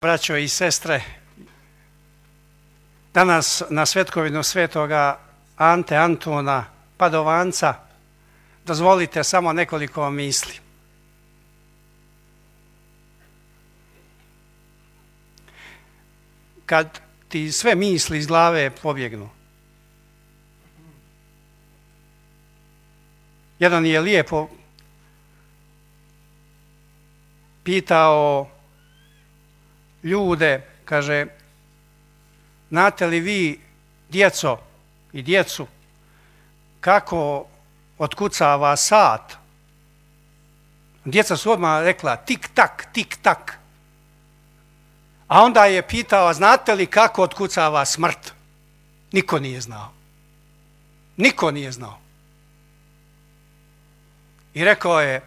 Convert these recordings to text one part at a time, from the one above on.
Braćo i sestre, danas na svetkovinu svetoga Ante Antuna Padovanca dozvolite samo nekoliko misli. Kad ti sve misli iz glave pobjegnu, jedan je lijepo pitao ljude, kaže, znate li vi, djeco i djecu, kako otkucava sat? Djeca su odmah rekla tik tak, tik tak. A onda je pitao, znate li kako otkucava smrt? Niko nije znao. Niko nije znao. I rekao je,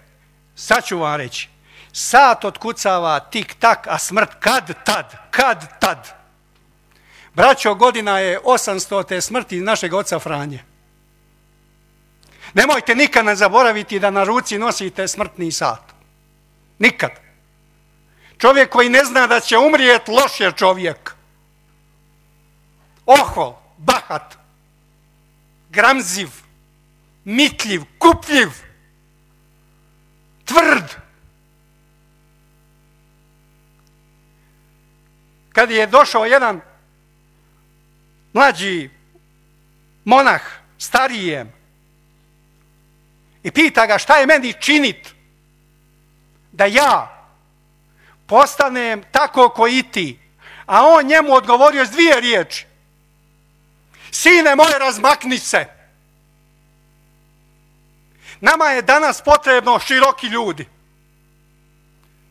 sad ću vam reći, sat otkucava tik tak, a smrt kad tad. Braćo, godina je 800. smrti našeg oca Franje. Nemojte nikad ne zaboraviti da na ruci nosite smrtni sat. Nikad. Čovjek koji ne zna da će umrijeti, loš je čovjek. Ohol, bahat, gramziv, mitljiv, kupljiv, tvrd. Kad je došao jedan mlađi monah, starijem, i pita ga šta je meni činit da ja postanem tako koji i ti, a on njemu odgovorio s 2 riječi. Sine moj, razmakni se. Nama je danas potrebno široki ljudi.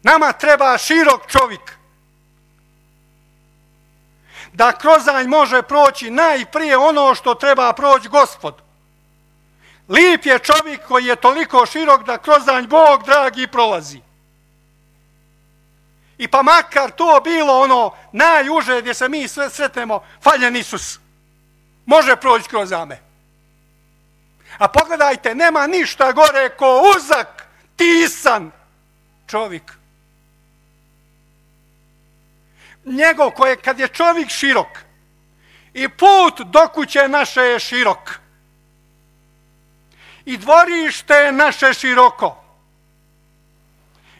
Nama treba širok čovjek. Da kroz nj može proći najprije ono što treba proći Gospod. Lijep je čovjek koji je toliko širok da kroz nj Bog dragi prolazi. I pa makar to bilo ono najuže gdje se mi sve sretnemo, faljen Isus. Može proći kroz ame. A pogledajte, nema ništa gore ko uzak, tisan čovjek. Njegov koje kad je čovjek širok i put do kuće naše je širok i dvorište je naše široko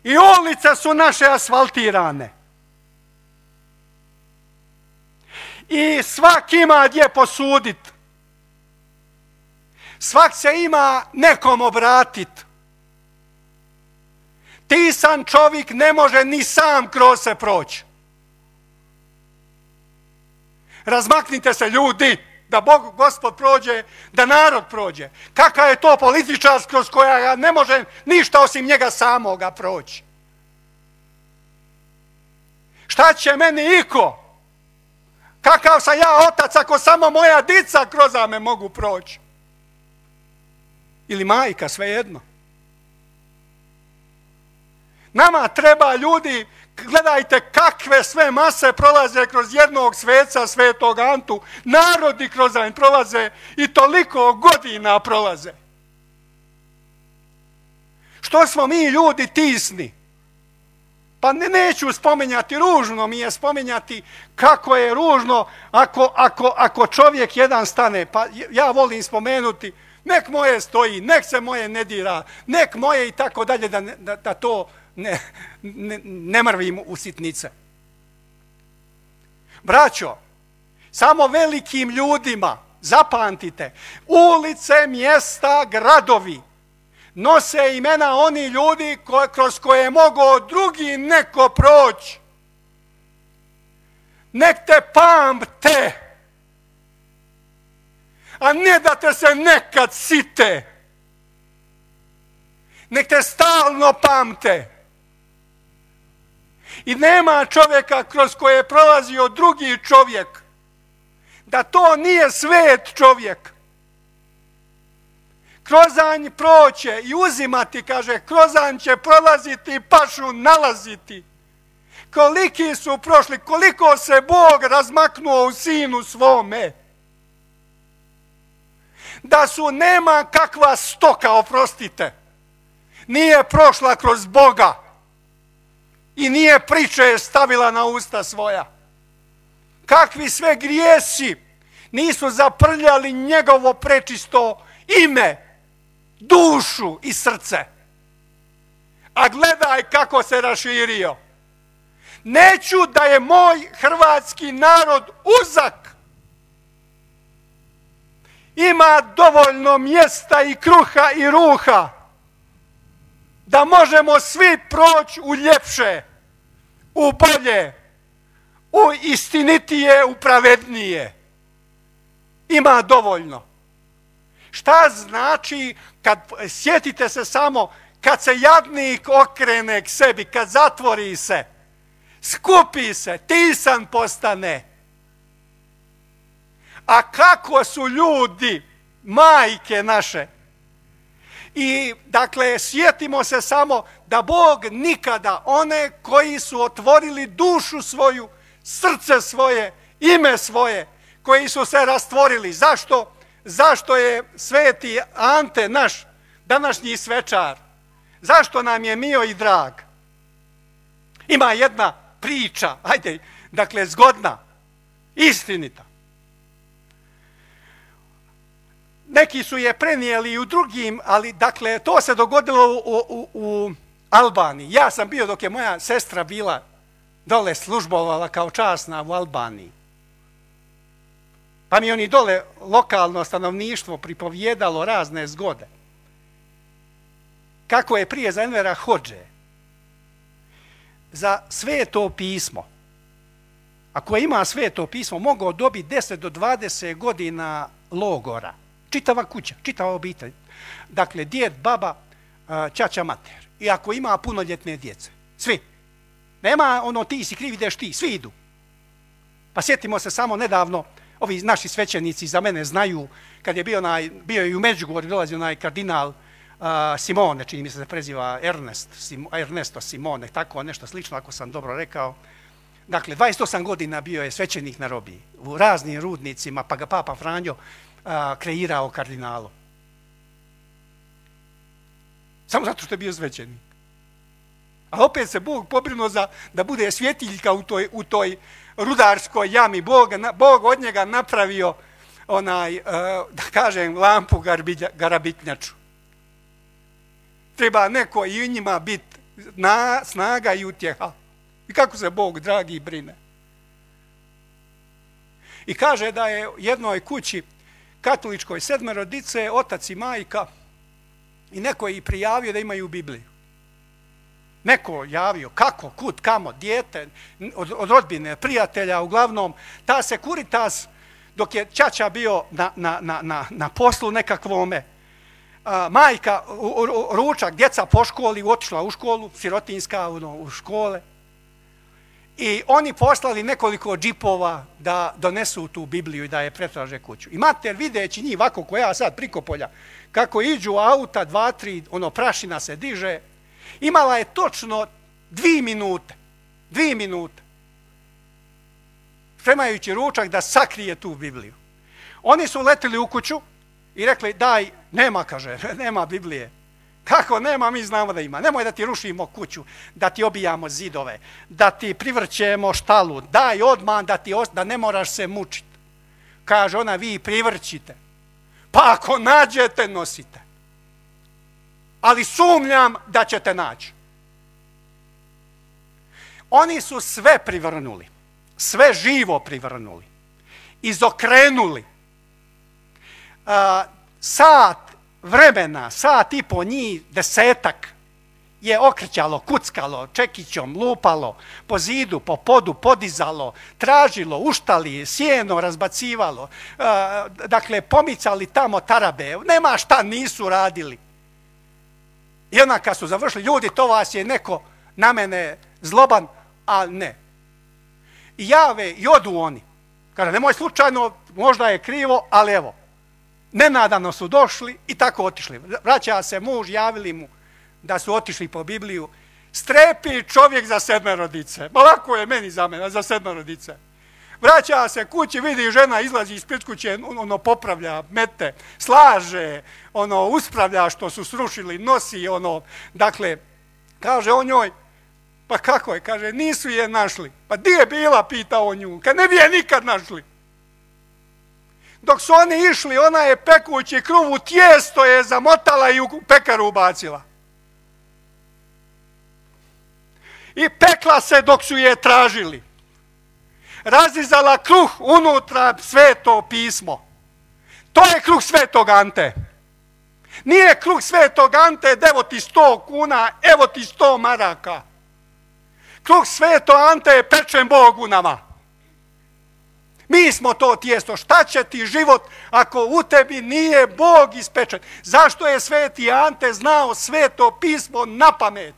i ulice su naše asfaltirane i svak ima gdje posudit, svak se ima nekom obratit. Tisan čovjek ne može ni sam kroz se proći. Razmaknite se, ljudi, da Gospod prođe, da narod prođe. Kakav je to političar kroz koja ne može ništa osim njega samoga proći? Šta će meni iko? Kakav sam ja otac ako samo moja dica kroz me mogu proći? Ili majka, svejedno. Nama treba ljudi. Gledajte kakve sve mase prolaze kroz jednog sveca, svetog Antu. Narodi kroz njega prolaze i toliko godina prolaze. Što smo mi ljudi tisni? Pa neću spominjati, ružno mi je spominjati kako je ružno ako čovjek jedan stane. Pa ja volim spomenuti, nek moje stoji, nek se moje ne dira, nek moje i tako dalje, da to ne mrvim u sitnice. Braćo, samo velikim ljudima, zapamtite, ulice, mjesta, gradovi nose imena oni ljudi kroz koje mogao drugi neko proći. Nek te pamte, a ne da te se nekad site. Nek te stalno pamte. I nema čovjeka kroz koje je prolazio drugi čovjek, da to nije svet čovjek. Krozanj proće i uzimati, kaže, krozanj će prolaziti i pašu nalaziti. Koliki su prošli, koliko se Bog razmaknuo u sinu svome. Da su nema kakva stoka, oprostite, nije prošla kroz Boga. i nije priče stavila na usta svoja. Kakvi sve grijesi nisu zaprljali njegovo prečisto ime, dušu i srce. A gledaj kako se raširio. Neću da je moj hrvatski narod uzak. Ima dovoljno mjesta i kruha i ruha da možemo svi proći u ljepše, u bolje, u istinitije, u pravednije. Ima dovoljno. Šta znači, sjetite se samo, kad se jadnik okrene k sebi, kad zatvori se, skupi se, tisan postane. A kako su ljudi, majke naše. I dakle, sjetimo se samo da Bog nikada one koji su otvorili dušu svoju, srce svoje, ime svoje, koji su se rastvorili. Zašto? Zašto je sveti Ante naš današnji svečar? Zašto nam je mio i drag? Ima jedna priča, ajde, dakle, zgodna, istinita. Neki su je prenijeli i u drugim, ali dakle, to se dogodilo u Albaniji. Ja sam bio dok je moja sestra bila dole službovala kao časna u Albaniji. Pa mi oni dole lokalno stanovništvo pripovjedalo razne zgode. Kako je prije za Envera Hodže za sveto pismo, ako ima sveto pismo, mogao dobiti 10 do 20 godina logora. Čitava kuća, čitava obitelj. Dakle, djed, baba, ćaća, mater. I ako ima punoljetne djece. Svi. Nema ono ti si kriv, ideš ti. Svi idu. Pa sjetimo se samo nedavno, ovi naši svećenici za mene znaju, kad je bio i u Međugorju, dolazio onaj kardinal Simone, čini mi se preziva Ernesto Simone, tako nešto slično, ako sam dobro rekao. Dakle, 28 godina bio je svećenik na robiji, u raznim rudnicima, pa ga Papa Franjo kreirao kardinalu. Samo zato što je bio svećenik. A opet se Bog pobrinuo da bude svjetiljka u toj rudarskoj jami. Bog od njega napravio da kažem, lampu garabitnjaču. Treba neko i u njima biti snaga i utjeha. I kako se Bog, dragi, brine. I kaže da je jednoj kući katoličkoj 7 dice, otac i majka, i neko je i prijavio da imaju Bibliju. Neko javio, kako, kud, kamo, dijete, od rodbine, prijatelja, uglavnom, ta Securitas, dok je ćaća bio na poslu nekakvome, majka, ručak, djeca po školi, otišla u školu, sirotinska, u škole, i oni poslali nekoliko džipova da donesu tu Bibliju i da je pretraže kuću. I mater, videći njih ovako ko ja sad priko polja, kako iđu auta, 2, 3, prašina se diže, imala je točno 2 minute. 2 minute. Spremajući ručak da sakrije tu Bibliju. Oni su letili u kuću i rekli, daj, nema, kaže, nema Biblije. Kako nema, mi znamo da ima. Nemoj da ti rušimo kuću, da ti obijamo zidove, da ti privrćemo štalu, daj odmah da ne moraš se mučiti. Kaže ona, vi privrćite. Pa ako nađete, nosite. Ali sumnjam da ćete naći. Oni su sve privrnuli, sve živo privrnuli, izokrenuli. Sat vremena, sat i po njih, 10 je okrećalo, kuckalo, čekićom, lupalo, po zidu, po podu, podizalo, tražilo, uštali, sjeno razbacivalo, dakle, pomicali tamo tarabe, nema šta nisu radili. I onda kad su završili, ljudi, to vas je neko na mene zloban, a ne. I jave i odu oni. Kaže, nemoj slučajno, možda je krivo, ali evo, nenadano su došli i tako otišli. Vraća se muž, javili mu da su otišli po Bibliju. Strepi čovjek za 7 dice. Ma lako je meni za mene, za 7 dice. Vraća se kući, vidi žena izlazi ispred kuće, popravlja, mete, slaže, uspravlja što su srušili, nosi, dakle, kaže on njoj, Pa kako je? Kaže, nisu je našli. Pa di je bila, pitao nju, kad ne bi je nikad našli. Dok su oni išli, ona je pekući kruv u tijesto je zamotala i u pekaru ubacila. I pekla se dok su je tražili. Razizala kruh unutra sveto pismo. To je kruh svetog Ante. Nije kruh svetog Ante, evo ti 100 kuna, evo ti 100 maraka. Kruh sveto Ante je pečen Bog u nama. Mi smo to tijesto. Šta će ti život ako u tebi nije Bog ispečen? Zašto je sveti Ante znao sveto pismo na pamet?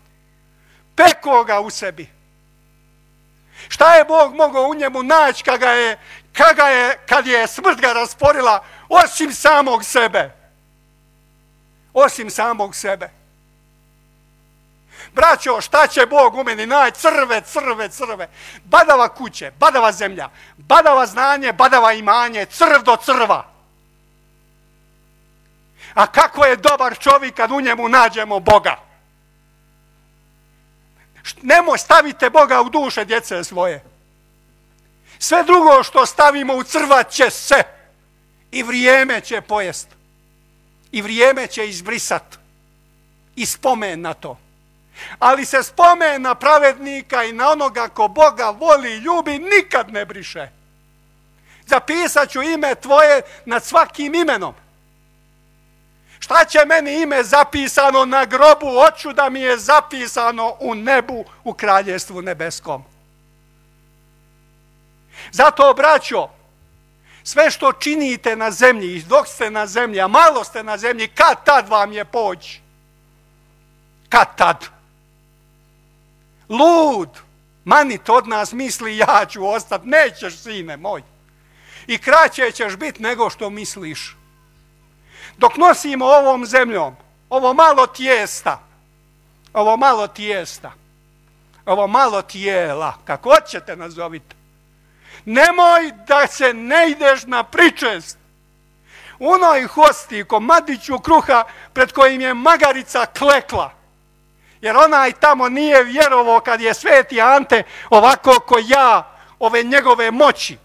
Peko ga u sebi. Šta je Bog mogao u njemu naći kad je smrt ga rasporila osim samog sebe? Osim samog sebe. Braćo, šta će Bog u meni naći? Crve. Badava kuće, badava zemlja, badava znanje, badava imanje, crv do crva. A kako je dobar čovjek kad u njemu nađemo Boga? Nemoj, stavite Boga u duše djece svoje. Sve drugo što stavimo u crva će se i vrijeme će pojest. I vrijeme će izbrisat. I spomen na to. Ali se spomen na pravednika i na onoga ko Boga voli i ljubi nikad ne briše. Zapisat ću ime tvoje nad svakim imenom. Šta će meni ime zapisano na grobu? Hoću da mi je zapisano u nebu, u kraljevstvu nebeskom. Zato, braćo, sve što činite na zemlji, dok ste na zemlji, a malo ste na zemlji, kad tad vam je poći? Kad tad? Lud, manit od nas misli ja ću ostati, nećeš, sine moj. I kraće ćeš biti nego što misliš. Dok nosimo ovom zemljom, ovo malo tijela, kako hoćete nazovite, nemoj da se ne ideš na pričest. Unoj hosti, komadiću kruha pred kojim je magarica klekla, jer onaj tamo nije vjerovao kad je sveti Ante ovako ko ja, ove njegove moći,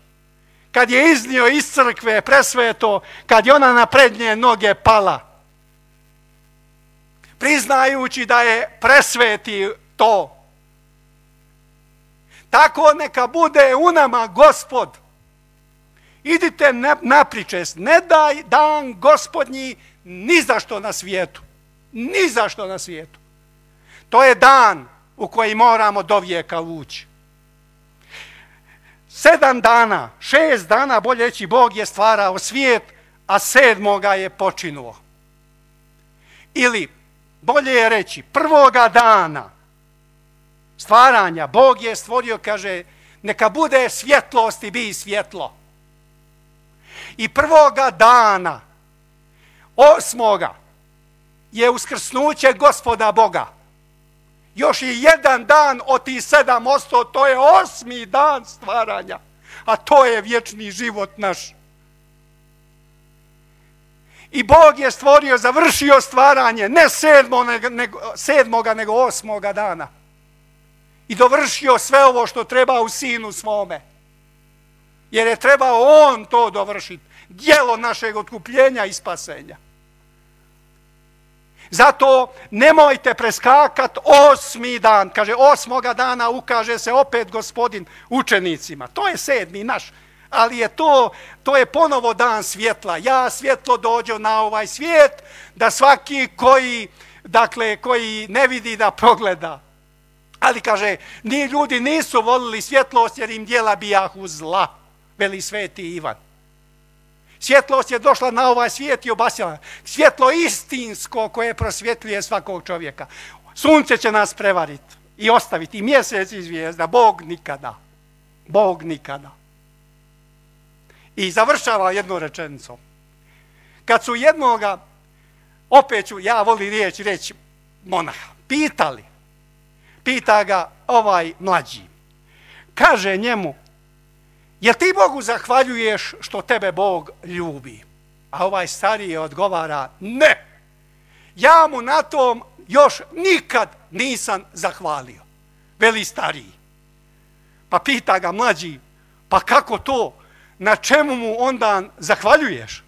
kad je iznio iz crkve presveto, kad je ona na prednje noge pala, priznajući da je presveti to. Tako neka bude u nama Gospod. Idite na pričest, ne daj dan Gospodnji ni za što na svijetu. Ni za što na svijetu. To je dan u koji moramo do vijeka ući. 7 dana, 6 dana, bolje reći, Bog je stvarao svijet, a 7. je počinuo. Ili, bolje je reći, 1. dana stvaranja Bog je stvorio, kaže, neka bude svjetlost i bi svjetlo. I 1. dana, 8. je uskrsnuće Gospoda Boga. Još je 1 dan od tih 7 to je 8. dan stvaranja. A to je vječni život naš. I Bog je stvorio, završio stvaranje, ne 7. nego 8. dana. I dovršio sve ovo što treba u Sinu svome. Jer je trebao On to dovršiti. Djelo našeg otkupljenja i spasenja. Zato nemojte preskakat 8. dan. Kaže, 8. dana ukaže se opet Gospodin učenicima. To je 7. naš. Ali je to je ponovo dan svjetla. Ja svjetlo dođo na ovaj svijet, da svaki koji ne vidi da progleda. Ali kaže, ni ljudi nisu volili svjetlost jer im djela bijahu zla, veli sveti Ivan. Svjetlost je došla na ovaj svijet i obasjala. Svjetlo istinsko koje prosvjetljuje svakog čovjeka. Sunce će nas prevariti i ostaviti, i mjesec i zvijezda. Bog nikada. Bog nikada. I završava jednu rečenicom. Kad su jednoga, opet ću, ja volim reći monaha, pita ga ovaj mlađi. Kaže njemu, jel ti Bogu zahvaljuješ što tebe Bog ljubi? A ovaj stariji odgovara, ne. Ja mu na tom još nikad nisam zahvalio. veli stariji. Pa pita ga mlađi, pa kako to? Na čemu mu onda zahvaljuješ?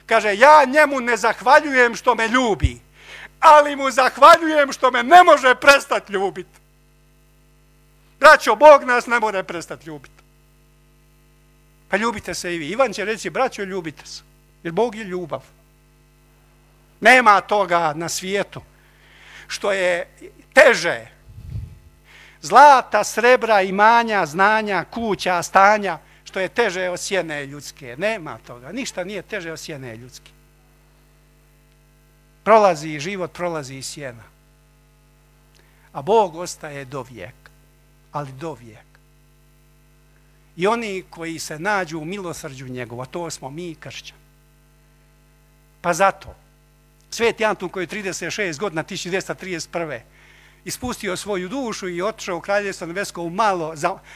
Kaže, ja njemu ne zahvaljujem što me ljubi, ali mu zahvaljujem što me ne može prestati ljubiti. Braćo, Bog nas ne može prestati ljubiti. Pa ljubite se i vi. Ivan će reći, braćo, ljubite se. Jer Bog je ljubav. Nema toga na svijetu što je teže. Zlata, srebra, imanja, znanja, kuća, stanja, što je teže od sjene ljudske. Nema toga. Ništa nije teže od sjene ljudske. Prolazi život, prolazi i sjena. A Bog ostaje do vijeka. Ali do vijeka. I oni koji se nađu u milosrđu njegova, to smo mi kršćani. Pa zato, Sveti Antun koji je 36 godina, 1231. ispustio svoju dušu i otišao u Kraljevstvo nebesko u malo,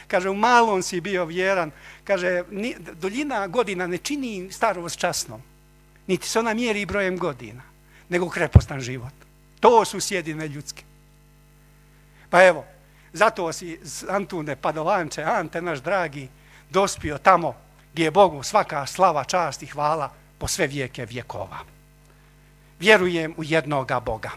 kaže, u malom si bio vjeran, kaže, duljina godina ne čini starost časnom, niti se ona mjeri brojem godina, nego krepostan život. To su sjedine ljudske. Pa evo, zato si, Antune Padovanče, Ante naš dragi, dospio tamo gdje je Bogu svaka slava, čast i hvala po sve vijeke vjekova. Vjerujem u jednoga Boga.